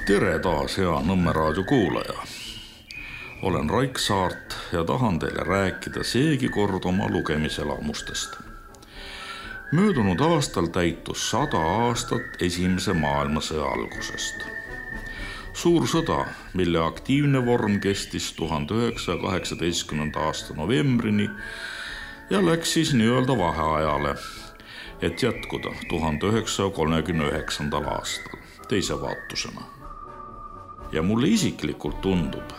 Tere taas, hea Nõmme raadio kuulaja. Olen Raik Saart ja tahan teile rääkida seegi kord oma lugemiselamustest. Möödunud aastal täitus 100 aastat Esimese maailmasõja algusest. Suur sõda, mille aktiivne vorm kestis 1918. aasta novembrini ja läks siis nii-öelda vaheajale, et jätkuda 1939. aastal teise vaatusena. Ja mulle isiklikult tundub,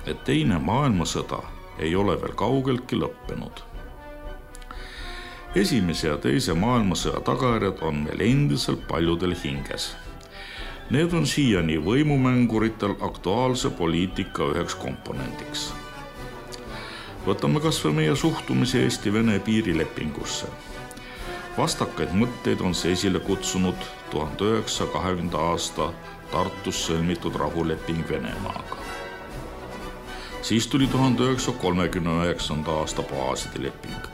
et teine maailmasõda ei ole veel kaugeltki lõppenud. Esimese ja teise maailmasõja tagajärjed on meil endiselt paljudel hinges. Need on siiani võimumänguritel aktuaalse poliitika üheks komponendiks. Võtame kas või meie suhtumise Eesti-Vene piirilepingusse. Vastakaid mõtteid on see esile kutsunud 1920. aasta Tartus sõlmitud rahuleping Venemaaga. Siis tuli 1939. aasta baaside leping.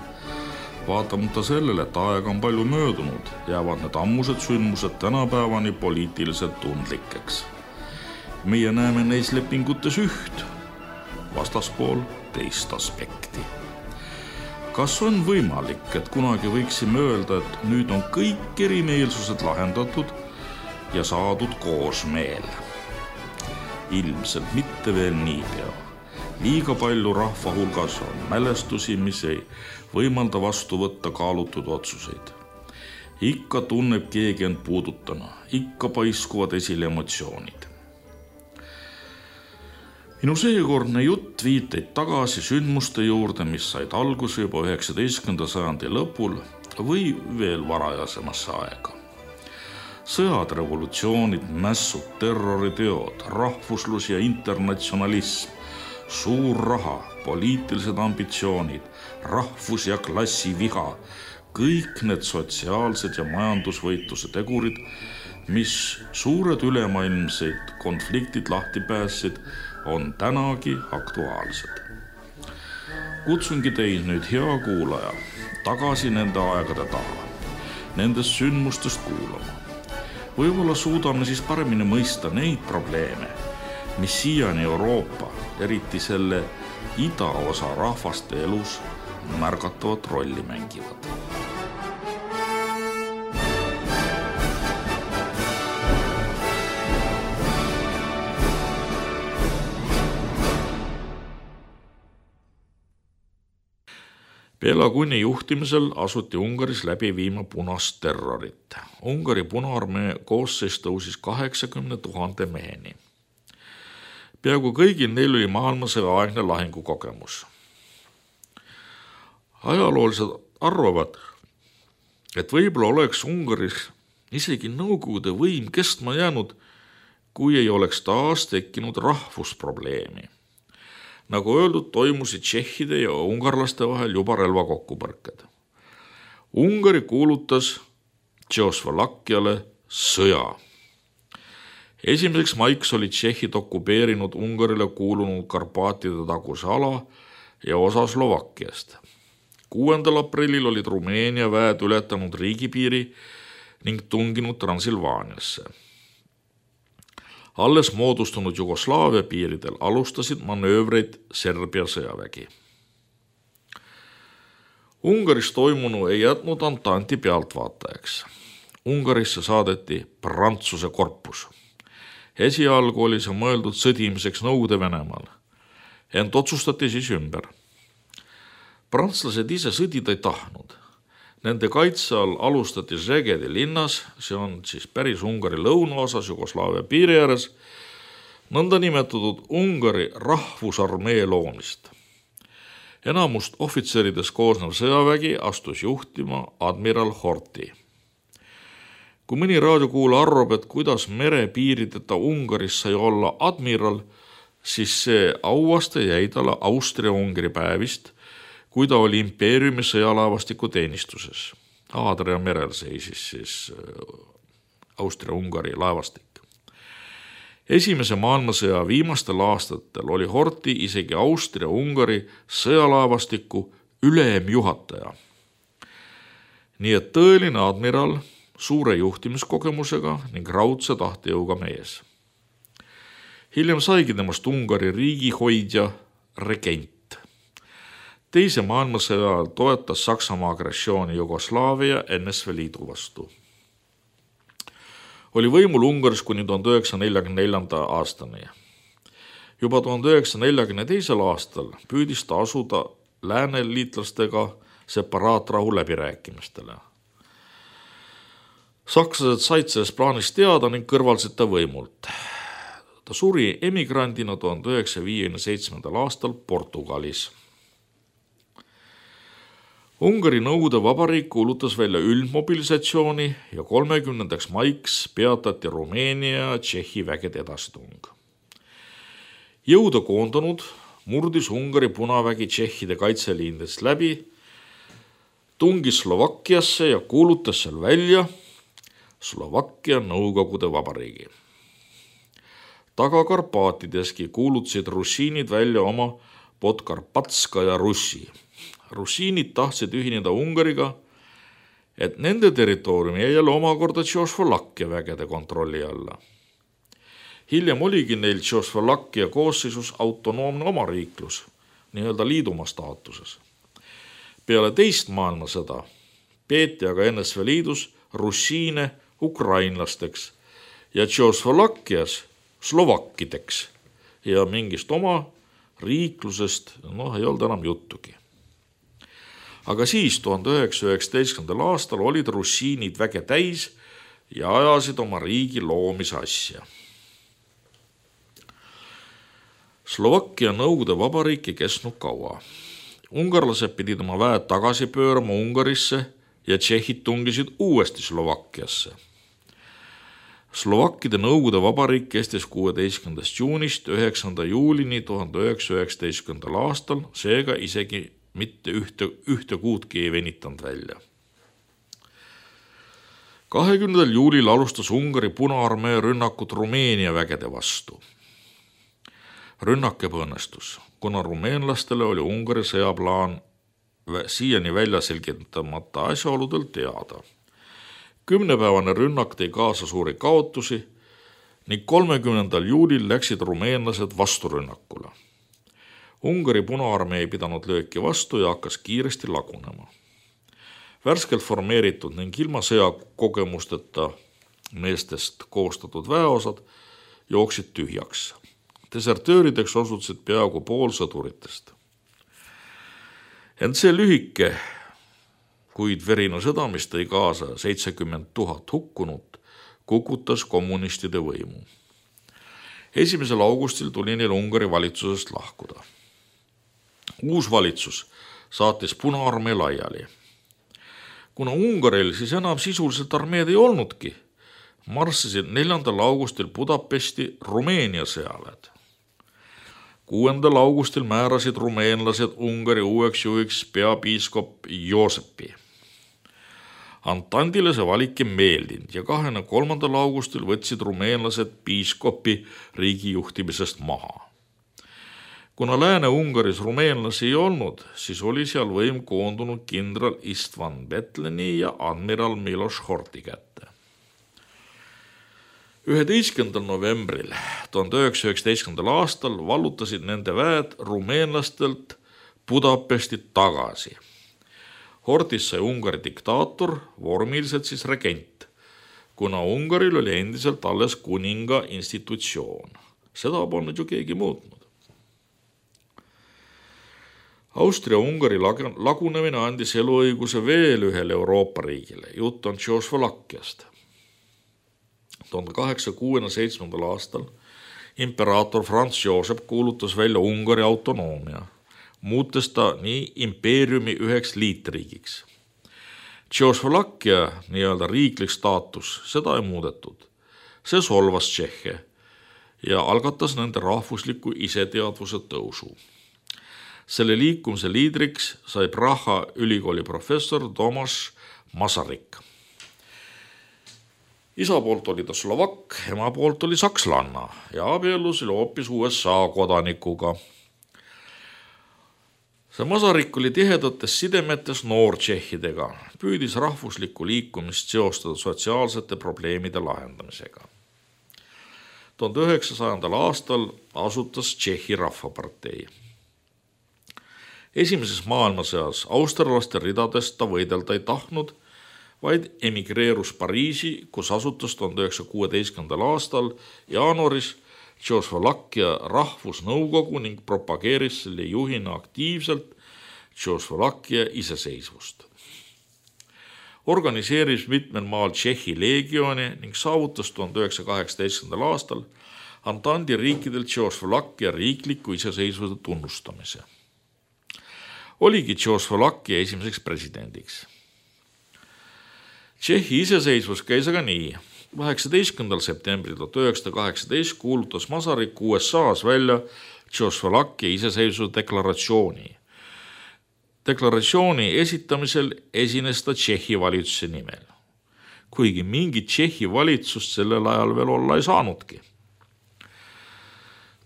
Vaatamata sellele, et aega on palju möödunud, jäävad need ammused sündmused tänapäevani poliitiliselt tundlikeks. Meie näeme neis lepingutes üht, vastaspool teist aspekti. Kas on võimalik, et kunagi võiksime öelda, et nüüd on kõik erimeelsused lahendatud ja saadud koosmeel? Ilmselt mitte veel niipea. Liiga palju rahva hulgas on mälestusi, mis ei võimalda vastu võtta kaalutud otsuseid. Ikka tunneb keegi end puudutana, ikka paiskuvad esile emotsioonid. Minu seekordne jutt viiteid tagasi sündmuste juurde, mis said alguse juba 19. sajandi lõpul või veel varajasemasse aega. Sõjad, revolutsioonid, mässud, terroriteod, rahvuslus ja internatsionalism, suur raha, poliitilised ambitsioonid, rahvus- ja klassiviha, kõik need sotsiaalsed ja majandusvõitluse tegurid, mis suured ülemaailmseid konfliktid lahti päässid, on tänagi aktuaalsed. Kutsungi teid nüüd, hea kuulaja, tagasi nende aegade taha, nendest sündmustest kuulama. Võib-olla suudame siis paremini mõista neid probleeme, mis siiani Euroopa, eriti selle idaosa rahvaste elus märgatavat rolli mängivad. Bela Kuni juhtimisel asuti Ungaris läbi viima punast terrorit. Ungari Punaarmee koosseis tõusis 80 000 meheni. Peaaegu kõigil neil oli maailmasõjaaegne lahingukogemus. Ajaloolised arvavad, et võib-olla oleks Ungaris isegi Nõukogude võim kestma jäänud, kui ei oleks taas tekkinud rahvusprobleemi. Nagu öeldud, toimusid tšehhide ja ungarlaste vahel juba relvakokkupõrked. Ungari kuulutas Tšehhoslovakkiale sõja. 1. maiks olid tšehhid okupeerinud Ungarile kuulunud Karpaatide taguse ala ja osa Slovakkiast. 6. aprillil olid Rumeenia väed ületanud riigipiiri ning tunginud Transilvaaniasse. Alles moodustunud Jugoslaavia piiridel alustasid manöövreid Serbia sõjavägi. Ungaris toimunu ei jätnud Antanti pealtvaatajaks. Ungarisse saadeti Prantsuse korpus. Esialgu oli see mõeldud sõdimiseks Nõukogude Venemaal, ent otsustati siis ümber. Prantslased ise sõdida ei tahtnud. Nende kaitse all alustati Szegedi linnas, see on siis päris Ungari lõunaosas Jugoslaavia piiri ääres, nõnda nimetatud Ungari rahvusarmee loomist. Enamust ohvitseridest koosnev sõjavägi astus juhtima admiral Horthy. Kui mõni raadiokuula arvab, et kuidas merepiirideta Ungaris sai olla admiral, siis see auaste jäi talle Austria-Ungari päevist, kui ta oli impeeriumi sõjalaevastiku teenistuses. Aadria merel seisis siis Austria-Ungari laevastik. Esimese maailmasõja viimastel aastatel oli Horthy isegi Austria-Ungari sõjalaevastiku ülemjuhataja. Nii et tõeline admiral suure juhtimiskogemusega ning raudse tahtejõuga mees. Hiljem saigi temast Ungari riigihoidja regent. Teise maailmasõja ajal toetas Saksamaa agressiooni Jugoslaavia NSV Liidu vastu. Oli võimul Ungaris kuni 1944. aastani. Juba 1942. aastal püüdis ta asuda lääneliitlastega separaatrahu läbirääkimistele. Sakslased said sellest plaanist teada ning kõrvaldasid ta võimult. Ta suri emigrandina 1957. aastal Portugalis. Ungari Nõukogude Vabariik kuulutas välja üldmobilisatsiooni ja 30. maiks peatati Rumeenia ja Tšehhi vägede edasitung. Jõuda koondanud murdis Ungari punavägi Tšehhide kaitseliinidest läbi, tungis Slovakkiasse ja kuulutas seal välja Slovakkia Nõukogude Vabariigi. Taga-Karpaatideski kuulutasid russiinid välja oma Podkarpatskaja Russi. Russiinid tahtsid ühineda Ungariga, et nende territooriumi jäi jälle omakorda Tšehhoslovakkia vägede kontrolli alla. Hiljem oligi neil Tšehhoslovakkia koosseisus autonoomne omariiklus, nii-öelda liidumaa staatuses. Peale teist maailmasõda peeti aga NSV Liidus russiine ukrainlasteks ja Tšehhoslovakkias slovakkideks ja mingist oma riiklusest ei olnud enam juttugi. Aga siis 1919. aastal olid russiinid väge täis ja ajasid oma riigi loomise asja. Slovakkia Nõukogude Vabariik ei kestnud kaua. Ungarlased pidid oma väed tagasi pöörama Ungarisse ja tšehhid tungisid uuesti Slovakkiasse. Slovakkide Nõukogude Vabariik kestis 16. juunist 9. juulini 1919. aastal, seega isegi mitte ühte kuudki ei venitanud välja. 20. juulil alustas Ungari Punaarmee rünnakut Rumeenia vägede vastu. Rünnak ebaõnnestus, kuna rumeenlastele oli Ungari sõjaplaan siiani välja selgitamata asjaoludel teada. 10-päevane rünnak tõi kaasa suuri kaotusi ning 30. juulil läksid rumeenlased vasturünnakule. Ungari Punaarmee ei pidanud lööki vastu ja hakkas kiiresti lagunema. Värskelt formeeritud ning ilma sõjakogemusteta meestest koostatud väeosad jooksid tühjaks. Desertöörideks osutusid peaaegu pool sõduritest. Ent see lühike, kuid verine sõda, mis tõi kaasa 70 000 hukkunut, kukutas kommunistide võimu. 1. augustil tuli neil Ungari valitsusest lahkuda. Uus valitsus saatis Punaarmee laiali. Kuna Ungaril siis enam sisuliselt armeed ei olnudki, marssisid 4. augustil Budapesti Rumeenia sõjaväed. 6. augustil määrasid rumeenlased Ungari uueks juhiks peapiiskop Joosepi. Antandile see valik ei meeldinud ja 23. augustil võtsid rumeenlased piiskopi riigi juhtimisest maha. Kuna Lääne-Ungaris rumeenlasi ei olnud, siis oli seal võim koondunud kindral Istvan Betleni ja admiral Miloš Horthy kätte. 11. novembril 1919. aastal vallutasid nende väed rumeenlastelt Budapestit tagasi. Horthys sai Ungari diktaator, vormiliselt siis regent, kuna Ungaril oli endiselt alles kuninga institutsioon. Seda polnud ju keegi muutnud. Austria-Ungari lagunemine andis eluõiguse veel ühele Euroopa riigile, jutt on Tšehhoslovakkiast. 1867. aastal imperaator Franz Josep kuulutas välja Ungari autonoomia, muutes ta nii impeeriumi üheks liitriigiks. Tšehhoslovakkia nii-öelda riiklik staatus, seda ei muudetud. See solvas tšehhe ja algatas nende rahvusliku iseteadvuse tõusu. Selle liikumise liidriks sai Praha ülikooli professor Tomaš Masaryk. Isa poolt oli ta slovakk, ema poolt oli sakslanna ja abiellus oli hoopis USA kodanikuga. See Masaryk oli tihedates sidemetes noortšehhidega, püüdis rahvuslikku liikumist seostada sotsiaalsete probleemide lahendamisega. 1900. aastal asutas Tšehhi Rahvapartei. Esimeses maailmasõjas austerlaste ridadest ta võidelda ei tahtnud, vaid emigreerus Pariisi, kus asutas 1916. aastal jaanuaris Tšehhoslovakkia rahvusnõukogu ning propageeris selle juhina aktiivselt Tšehhoslovakkia iseseisvust. Organiseeris mitmel maal Tšehhi leegioni ning saavutas 1918. aastal Antandi riikidel Tšehhoslovakkia riikliku iseseisvuse tunnustamise. Oligi Tšehhoslovakkia esimeseks presidendiks. Tšehhi iseseisvus käis aga nii. 18. septembril 1918 kuulutas Masaryk USA-s välja Tšehhoslovakkia iseseisvuse deklaratsiooni. Deklaratsiooni esitamisel esines ta Tšehhi valitsuse nimel, kuigi mingit Tšehhi valitsust sellel ajal veel olla ei saanudki.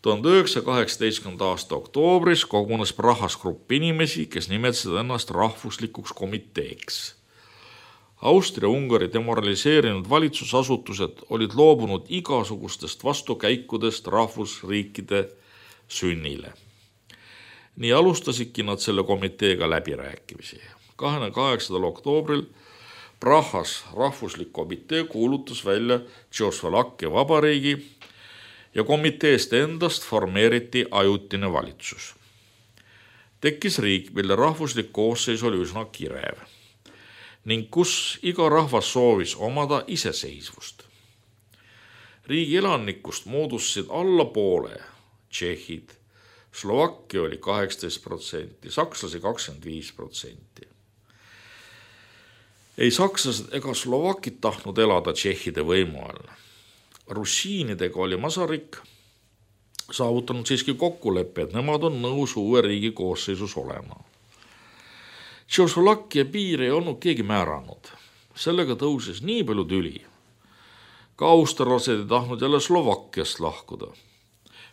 1918. aasta oktoobris kogunes Prahas grupp inimesi, kes nimetasid ennast rahvuslikuks komiteeks. Austria-Ungari demoraliseerinud valitsusasutused olid loobunud igasugustest vastukäikudest rahvusriikide sünnile. Nii alustasidki nad selle komiteega läbirääkimisi. 28. oktoobril Prahas rahvuslik komitee kuulutas välja Tšehhoslovakkia vabariigi ja komiteest endast formeeriti ajutine valitsus. Tekkis riik, mille rahvuslik koosseis oli üsna kirev ning kus iga rahvas soovis omada iseseisvust. Riigi elanikust moodustasid alla poole tšehhid, Slovakkia oli 18%, sakslasi 25%. Ei sakslased ega slovakid tahtnud elada tšehhide võimu all. Russiinidega oli Masaryk saavutanud siiski kokkuleppe, et nemad on nõus uue riigi koosseisus olema. Tšehhoslovakkia piir ei olnud keegi määranud. Sellega tõusis nii palju tüli. Ka austerlased ei tahtnud jälle Slovakkiast lahkuda.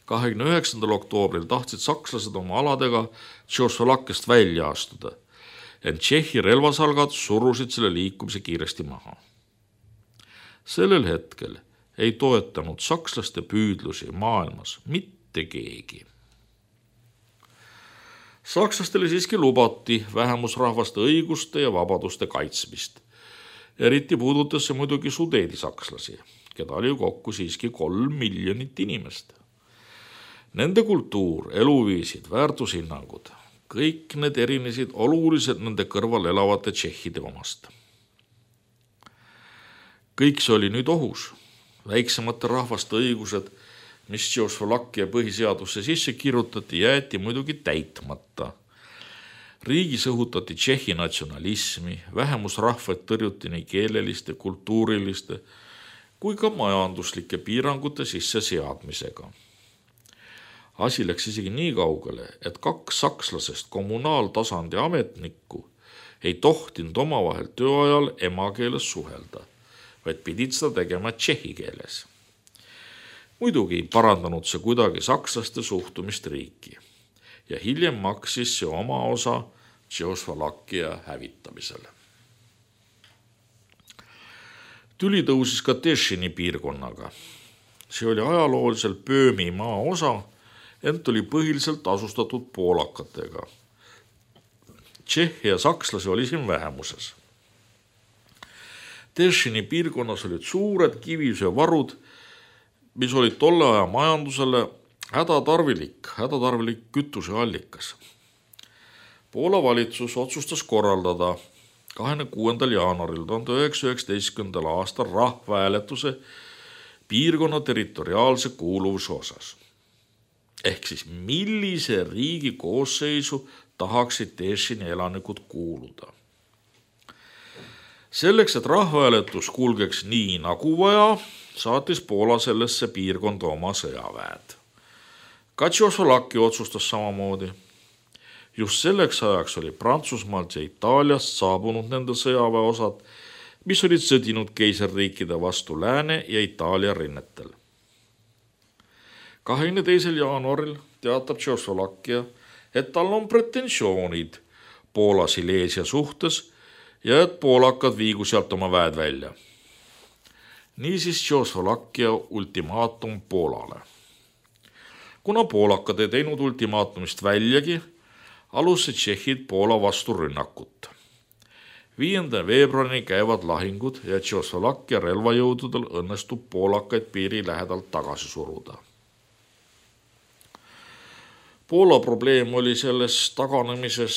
29. oktoobril tahtsid sakslased oma aladega Tšehhoslovakkiast välja astuda, ent Tšehhi relvasalgad surusid selle liikumise kiiresti maha. Sellel hetkel ei toetanud sakslaste püüdlusi maailmas mitte keegi. Sakslastele siiski lubati vähemusrahvaste õiguste ja vabaduste kaitsmist. Eriti puudutas see muidugi sudeedisakslasi, keda oli kokku siiski 3 miljonit inimest. Nende kultuur, eluviisid, väärtushinnangud, kõik need erinesid oluliselt nende kõrval elavate tšehhide omast. Kõik see oli nüüd ohus. Väiksemate rahvaste õigused, mis Tšehhoslovakkia põhiseadusse sisse kirjutati, jäeti muidugi täitmata. Riigis õhutati Tšehhi natsionalismi, vähemusrahvad tõrjuti nii keeleliste, kultuuriliste kui ka majanduslike piirangute sisse seadmisega. Asi läks isegi nii kaugele, et 2 sakslasest kommunaaltasandi ametnikku ei tohtinud omavahel tööajal emakeeles suhelda, vaid pidid seda tegema tšehhi keeles. Muidugi ei parandanud see kuidagi sakslaste suhtumist riiki ja hiljem maksis see oma osa Tšehhoslovakkia hävitamisele. Tüli tõusis ka Teschini piirkonnaga. See oli ajalooliselt Böömi maa osa, ent oli põhiliselt asustatud poolakatega. Tšehhi ja sakslasi oli siin vähemuses. Teschini piirkonnas olid suured kivisöevarud, mis olid tolle aja majandusele hädatarvilik kütuseallikas. Poola valitsus otsustas korraldada 26. jaanuaril 1919. aastal rahvahääletuse piirkonna territoriaalse kuuluvuse osas. Ehk siis millise riigi koosseisu tahaksid Teschini elanikud kuuluda. Selleks, et rahvahääletus kulgeks nii nagu vaja, saatis Poola sellesse piirkonda oma sõjaväed. Ka Tšehhoslovakkia otsustas samamoodi. Just selleks ajaks oli Prantsusmaalt ja Itaaliast saabunud nende sõjaväeosad, mis olid sõdinud keisarriikide vastu Lääne ja Itaalia rinnetel. 22. jaanuaril teatab Tšehhoslovakkia, et tal on pretensioonid Poola-Silesia suhtes ja et poolakad viigu sealt oma väed välja. Niisiis Tšehhoslovakkia ultimaatum Poolale. Kuna poolakad ei teinud ultimaatumist väljagi, alustasid tšehhid Poola vastu rünnakut. 5. veebruarini käivad lahingud ja Tšehhoslovakkia relvajõududel õnnestub poolakaid piiri lähedalt tagasi suruda. Poola probleem oli selles taganemises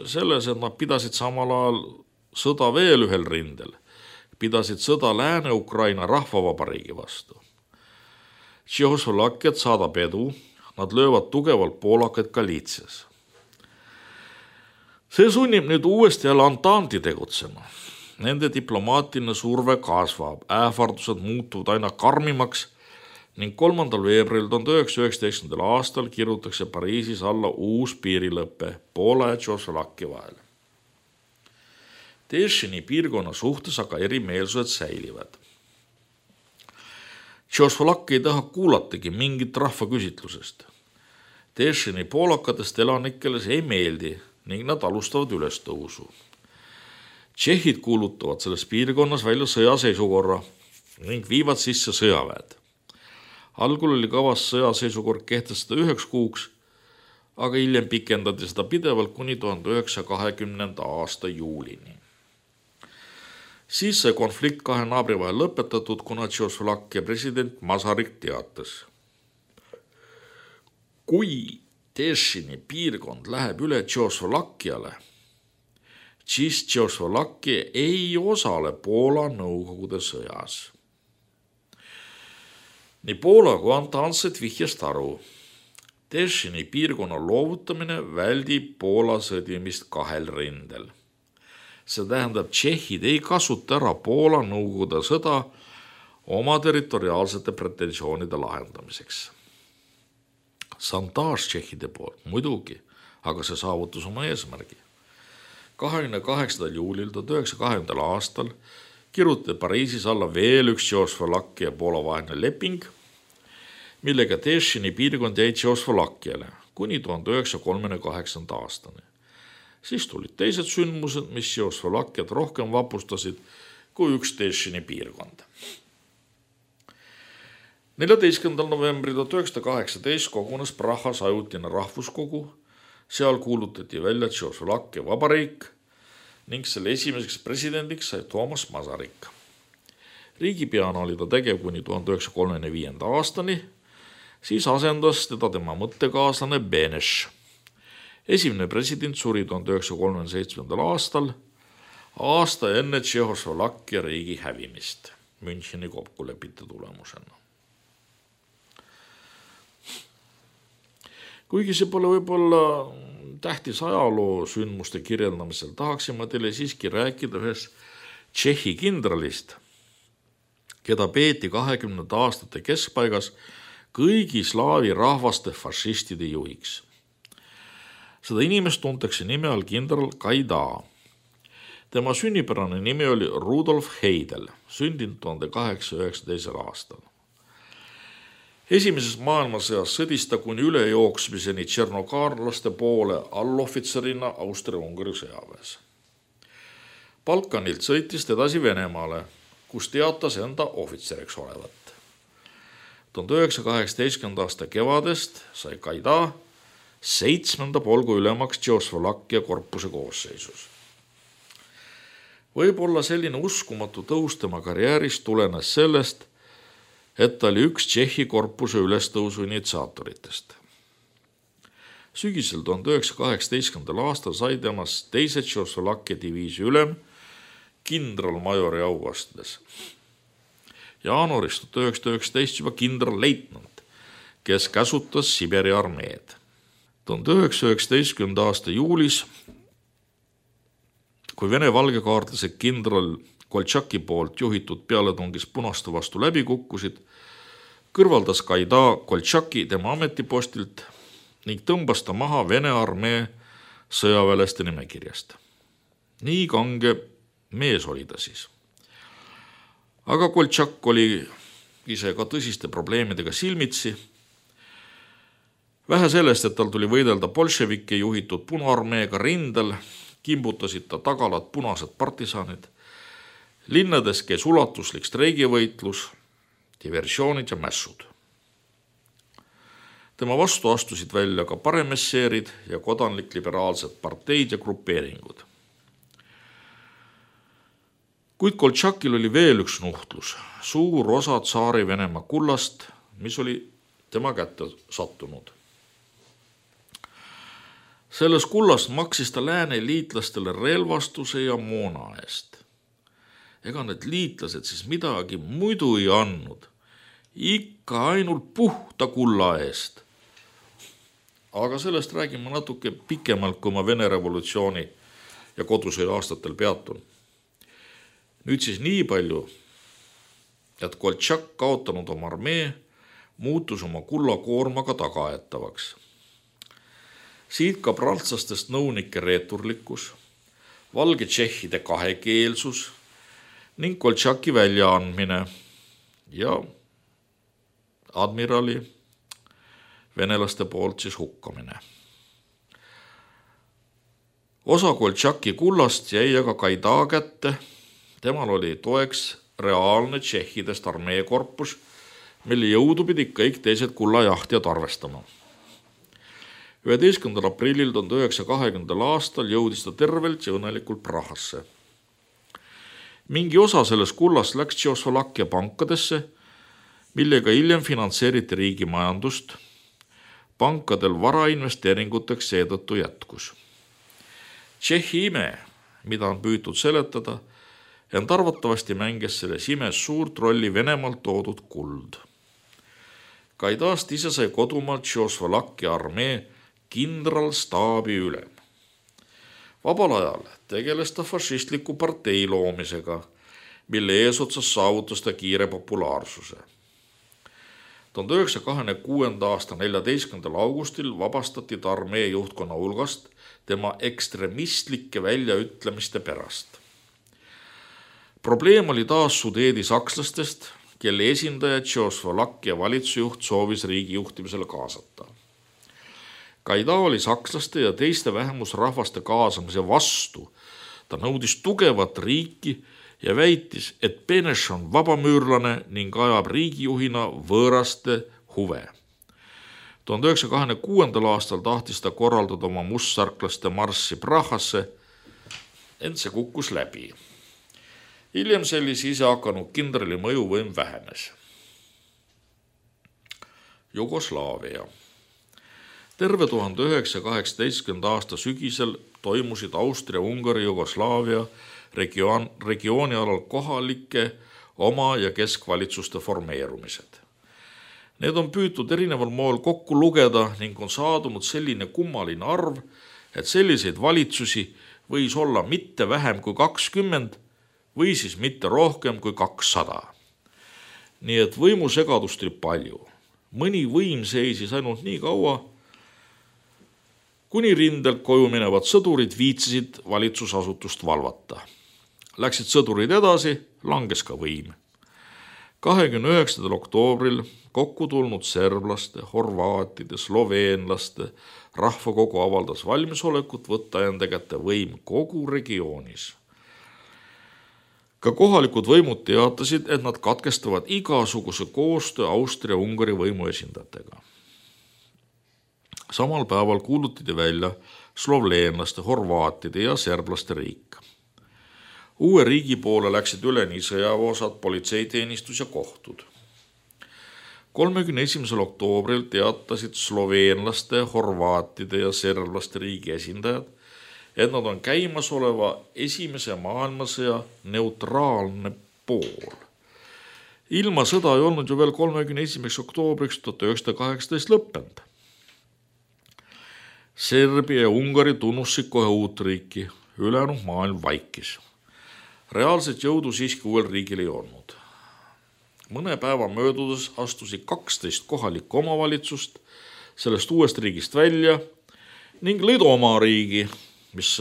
selles, et nad pidasid samal ajal sõda veel ühel rindel. Pidasid sõda Lääne-Ukraina rahvavabariigi vastu. Tšehhoslovakkiat saadab edu, nad löövad tugevalt poolakaid Galiitsias. See sunnib nüüd uuesti jälle Antanti tegutsema. Nende diplomaatiline surve kasvab, ähvardused muutuvad aina karmimaks ning 3. veebruaril 1919. aastal kirjutatakse Pariisis alla uus piirilõpe Poola ja Tšehhoslovakkia vahel. Tešini piirkonna suhtes aga erimeelsused säilivad. Tšehhoslovakkia ei taha kuulatagi mingit rahvaküsitlusest. Tešini poolakatest elanikele see ei meeldi ning nad alustavad ülestõusu. Tšehhid kuulutavad selles piirkonnas välja sõjaseisukorra ning viivad sisse sõjaväed. Algul oli kavas sõjaseisukord kehtestada 1 kuuks, aga hiljem pikendati seda pidevalt kuni 1920. aasta juulini. Siis sai konflikt 2 naabri vahel lõpetatud, kuna Tšehhoslovakkia president Masaryk teatas. Kui Tešini piirkond läheb üle Tšehhoslovakkiale, siis Tšehhoslovakkia ei osale Poola Nõukogude sõjas. Nii Poola kui Antantset vihjast aru. Tešini piirkonna loovutamine väldib Poola sõdimist 2 rindel. See tähendab, tšehhid ei kasuta ära Poola Nõukogude sõda oma territoriaalsete pretensioonide lahendamiseks. Santaaž tšehhide poolt muidugi, aga see saavutus oma eesmärgi. 28. juulil 1920. aastal kirjutati Pariisis alla veel üks Tšehhoslovakkia ja Poola vaheline leping, millega Tešini piirkond jäi Tšehhoslovakkiale kuni 1938. aastani. Siis tulid teised sündmused, mis Tšehhoslovakkiat rohkem vapustasid kui üks Tešini piirkond. 14. novembril 1918 kogunes Prahas ajutine rahvuskogu, seal kuulutati välja Tšehhoslovakkia vabariik ning selle esimeseks presidendiks sai Toomas Masaryk. Riigipeana oli ta tegev kuni 1935. aastani, siis asendas teda tema mõttekaaslane Beneš. Esimene president suri 1937. aastal, aasta enne Tšehhoslovakkia riigi hävimist Müncheni kokkulepite tulemusena. Kuigi see pole võib-olla tähtis ajaloo sündmuste kirjeldamisel, tahaksime teile siiski rääkida ühest Tšehhi kindralist, keda peeti 20. aastate keskpaigas kõigi slaavi rahvaste fašistide juhiks. Seda inimest tuntakse nime all kindral Gaida. Tema sünnipärane nimi oli Rudolf Heidel, sündinud 1819. aastal. Esimeses maailmasõjas sõdis ta kuni ülejooksmiseni tšernokaarlaste poole allohvitserina Austria-Ungari sõjaväes. Balkanilt sõitis edasi Venemaale, kus teatas enda ohvitseriks olevat. 1918. aasta kevadest sai Gaida 7. polgu ülemaks Tšehhoslovakkia korpuse koosseisus. Võib-olla selline uskumatu tõus tema karjääris tulenes sellest, et ta oli üks Tšehhi korpuse ülestõusu initsiaatoritest. Sügisel 1918. aastal sai temast 2. Tšehhoslovakkia diviisi ülem kindralmajori auastmes. Jaanuarist 1919 juba kindralleitnant, kes käsutas Siberi armeed. 1919. aasta juulis, kui Vene valgekaartlase kindral Koltšaki poolt juhitud pealetungis punaste vastu läbi kukkusid, kõrvaldas Gaida Koltšaki tema ametipostilt ning tõmbas ta maha Vene armee sõjaväelaste nimekirjast. Nii kange mees oli ta siis. Aga Koltšak oli ise ka tõsiste probleemidega silmitsi. Vähe sellest, et tal tuli võidelda bolševike juhitud Punaarmeega rindel, kimbutasid ta tagalad punased partisanid Linnades käis ulatuslik streigivõitlus, diversioonid ja mässud. Tema vastu astusid välja ka paremesseerid ja kodanlik-liberaalsed parteid ja grupeeringud. Kuid Koltšakil oli veel üks nuhtlus, suur osa Tsaari Venemaa kullast, mis oli tema kätte sattunud. Selles kullast maksis ta lääne liitlastele relvastuse ja moona eest. Ega need liitlased siis midagi muidu ei andnud, ikka ainult puhta kulla eest. Aga sellest räägime natuke pikemalt, kui ma Vene revolutsiooni ja kodusõja aastatel peatun. Nüüd siis nii palju, et Koltšak kaotanud oma armee muutus oma kullakoormaga tagaaetavaks. Siit ka prantslastest nõunike reeturlikkus, valge tšehhide kahekeelsus ning Koltšaki väljaandmine ja admirali venelaste poolt siis hukkamine. Osa Koltšaki kullast jäi aga Gaida kätte, temal oli toeks reaalne tšehhidest armeekorpus, mille jõudu pidi kõik teised kullajahtijad arvestama. 11. aprillil 1920. aastal jõudis ta tervelt ja õnnelikult Prahasse. Mingi osa sellest kullast läks Tšehhoslovakkia pankadesse, millega hiljem finantseeriti riigi majandust. Pankadel varainvesteeringuteks seetõttu jätkus. Tšehhi ime, mida on püütud seletada, ent arvatavasti mängis selles imes suurt rolli Venemaalt toodud kuld. Gaidast ise sai kodumaalt Tšehhoslovakkia armee kindralstaabi ülem. Vabal ajal tegeles ta fašistliku partei loomisega, mille eesotsas saavutas ta kiire populaarsuse. 1926. aasta 14. augustil vabastati ta armee juhtkonna hulgast tema ekstremistlike väljaütlemiste pärast. Probleem oli taas Sudeedi sakslastest, kelle esindaja Tšehhoslovakkia valitsusjuht soovis riigi juhtimisele kaasata. Gaida oli sakslaste ja teiste vähemusrahvaste kaasamise vastu. Ta nõudis tugevat riiki ja väitis, et Beneš on vabamüürlane ning ajab riigijuhina võõraste huve. 1926. aastal tahtis ta korraldada oma mustsarklaste marssi Prahasse, ent see kukkus läbi. Hiljem sellise ise hakanud kindrali mõjuvõim vähenes. Jugoslaavia. Terve 1918. aasta sügisel toimusid Austria-Ungari Jugoslaavia regiooni alal kohalike oma- ja keskvalitsuste formeerumised. Need on püütud erineval moel kokku lugeda ning on saadunud selline kummaline arv, et selliseid valitsusi võis olla mitte vähem kui 20 või siis mitte rohkem kui 200. Nii et võimusegadust oli palju. Mõni võim seisis ainult nii kaua, kuni rindelt koju minevad sõdurid viitsisid valitsusasutust valvata. Läksid sõdurid edasi, langes ka võim. 29. oktoobril kokku tulnud serblaste, horvaatide, sloveenlaste rahvakogu avaldas valmisolekut võtta enda kätte võim kogu regioonis. Ka kohalikud võimud teatasid, et nad katkestavad igasuguse koostöö Austria-Ungari võimu esindajatega. Samal päeval kuulutati välja sloveenlaste, horvaatide ja serblaste riik. Uue riigi poole läksid üle nii sõjaväeosad, politseiteenistus ja kohtud. 31. oktoobril teatasid sloveenlaste, horvaatide ja serblaste riigi esindajad, et nad on käimasoleva esimese maailmasõja neutraalne pool. Ilma sõda ei olnud ju veel 31. oktoobriks 1918 lõppenud. Serbia ja Ungari tunnusid kohe uut riiki, ülejäänud maailm vaikis. Reaalset jõudu siiski uuel riigil ei olnud. Mõne päeva möödudes astusid 12 kohalikku omavalitsust sellest uuest riigist välja ning lõid oma riigi, mis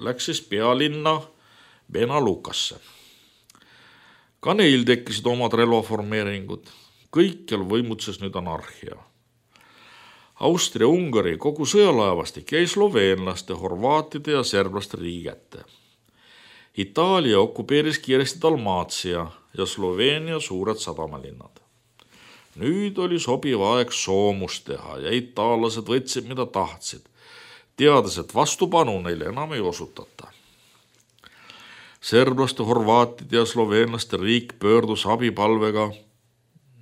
läks siis pealinna Banja Lukasse. Ka neil tekkisid omad relvaformeeringud. Kõikjal võimutses nüüd anarhia. Austria-Ungari kogu sõjalaevastik jäi sloveenlaste, horvaatide ja serblaste riigi kätte. Itaalia okupeeris kiiresti Dalmaatia ja Sloveenia suured sadamalinnad. Nüüd oli sobiv aeg soomust teha ja itaallased võtsid, mida tahtsid, teades, et vastupanu neile enam ei osutata. Serblaste, horvaatide ja sloveenlaste riik pöördus abipalvega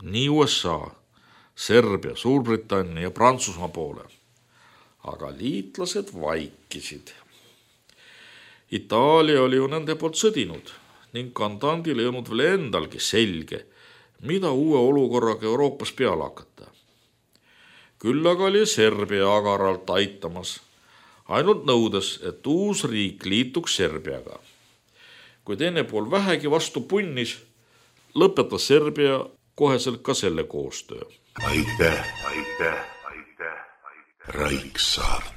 nii USA, Serbia, Suurbritannia ja Prantsusmaa poole, aga liitlased vaikisid. Itaalia oli ju nende poolt sõdinud ning kandandil ei olnud veel endalgi selge, mida uue olukorraga Euroopas peale hakata. Küll aga oli Serbia agaralt aitamas, ainult nõudes, et uus riik liituks Serbiaga. Kui teine pool vähegi vastu punnis, lõpetas Serbia koheselt ka selle koostöö. Aitäh. Raiksaart.